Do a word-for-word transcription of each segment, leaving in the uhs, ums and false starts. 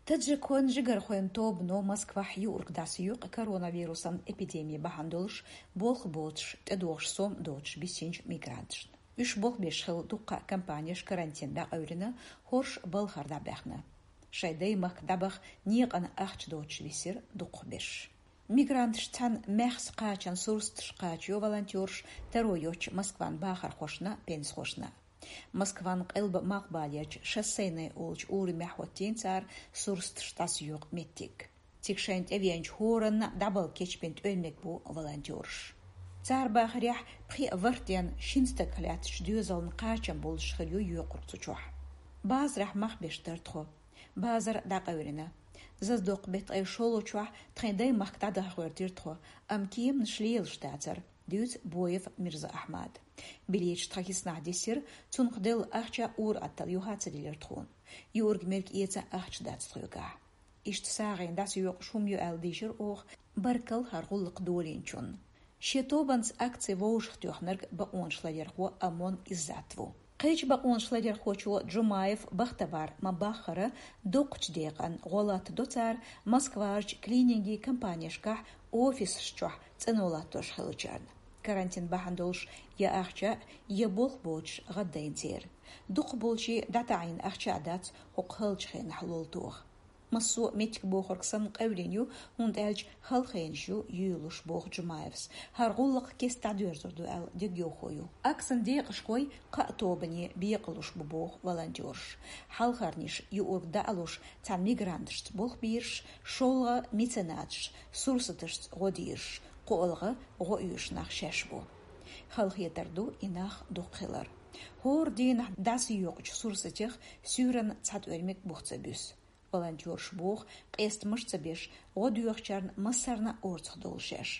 Таджикойн жигархойн тобано Москвахь юург дӀасайоькъу коронавирусан эпидеми бахьана долуш болх боцуш, тӀедогӀуш сом доцуш бисинчу мигранташна. Уьш болх беш хилла дуккха а компанеш карантин дӀакъевлина, хӀорш балхара дӀабаьхна. Шайн даймахка дӀабаха некъана ахча доцуш висира дукхахберш. Мигранташ цхьана маьхза кхачан сурсаташ кхачайо волонтераш, таро йоцуш Москван бахархошна, пенсахошна. Москван къилба малхбалерчу Шоссейная олучу урамехь хӀоттийна цара сурсаташ дӀасайоккху меттиг. Цига шайна тӀевеанчу хӀоранна дӀабала кечбина тӀоьрмиг бу волонтераш. Цара бахарехь, пхи а ворхӀ денна шина стагах лаьттачу доьзална кхачам болуш хир ю йоькъург цу чохь. Базарахь мах беш дара тхо. Базар дӀакъевлина. Зазадоккху беттан ткъе шолгӀачохь тхайн даймахка дӀадаха гӀоьртира тхо, амма кеманаш лелаш дацара, дуьйцу Боев Мирза-Ахьмада. Билеташ тхан хӀисанахь дисира, цунах делла ахча ур-атталла юха а ца делира тхуна. Юург-мерг эца ахча дац тхоьгахь. Иштта сагӀина дӀасайоккхуш хӀума ю аьлла дийшира оха, баркалла хӀара гӀуллакх долийначунна. Шен тобанца акци вовшахтоьхнарг бакъонаш ларъярхо Амон Иззат ву. Кхечу бакъонаш ларъярхочо Джумаев Бахтавар ма-баххара, доккхачу декъана гӀо латтадо цара Москварчу клинингийн компанешкахь офисаш чохь цӀано латтош хиллачарна. Карантин бахьана долуш я ахча, я болх боцуш гӀаддайна церан. Дукхахболчийн дӀатаӀийна ахча а дац хӀокху халчу хенахь лол тоха. Массо а меттиг бохург санна къевлина ю, хӀунда аьлча халахенаш ю юьйлуш, боху Джумаевс. ХӀара гӀуллакх кеста дӀадоьрзур ду аьлла дегайовхо ю. Акцин декъашхой кхаа тобане бекъалуш бу, боху волонтераш. Хьалхарниш юург дӀа а луш, цхьана мигранташца болх бийраш, шолгӀа меценаташ сурсаташца гӀо дийраш, кхоалгӀа гӀо оьшуш нах шаьш бу. Халахетар ду и нах дукха хилар. ХӀора дийнахь дӀасайоккхучу сурсатех суьйранна цхьа тӀоьрмиг бух ца буьсу. Волонтераш боху, къестамаш ца беш, гӀо доьхучарна массарна а орцах довла шаьш.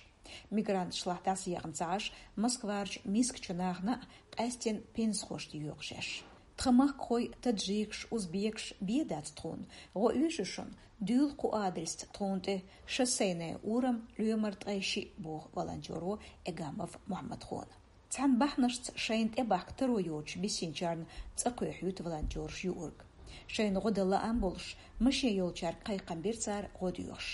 Мигранташлахь дӀасаехна ца Ӏаш, Москварчу мискачу нахана а, къаьстина пенсахошна а йоькъу шаьш. Тхан махкахой, таджикаш, узбекаш бен дац тхуна, гӀо оьшу шуна, дуьйла кху адресца тхуна тӀе, Шоссейная урам, лоьмар ткъе шиъ, боху волонтеро Эгамов Мухьаммадхона. Цхьана бахьанашца шайна тӀебахка таро йоцуш бисинчарна цӀа кхоьхьуьйту волонтераш юург. Шайна гӀо дан лаам болуш, машен йолчаьрга кхайкхам бира цара гӀо доьхуш.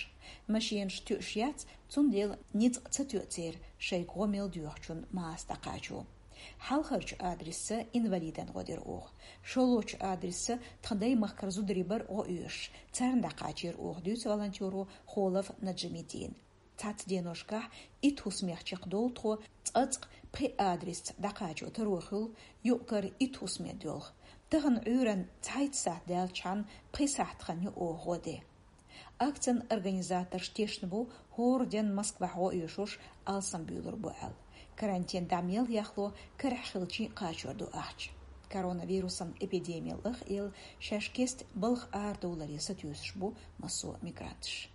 Машенаш тоьуш яц, цундела ницкъ ца тоьу церан, шайга гӀо мел доьхучунна маса дӀакхачо. Хьалхарчу адресца инвалидана гӀо дира оха. ШолгӀачу адресца тхан даймахкара зударий бара гӀо оьшуш, царна дӀакхачийра оха, дуьйцу волонтеро Холов Наджимиддина. Цхьацца деношкахь итт хӀусамех чекхдовлу тхо, цкъацкъа пхи адресца дӀакхачо таро хуьлу, юкъ-кара итт хӀусаме доьлху. Тахана Ӏуьйранна цхьайтта сахьт даьллачхьана пхи сахьт хан ю оха гӀо де. Акцин организаторш тешна бу, хӀора денна Москвахь гӀо оьшурш алсамбуьйлур бу аьлла. Карантин дӀа мел яхло, карахь хилчийн кхачор ду ахча. Коронавирусан эпидеми лаха а елла, шаьш кеста балха арадовларе сатуьйсуш бу массо а мигранташ.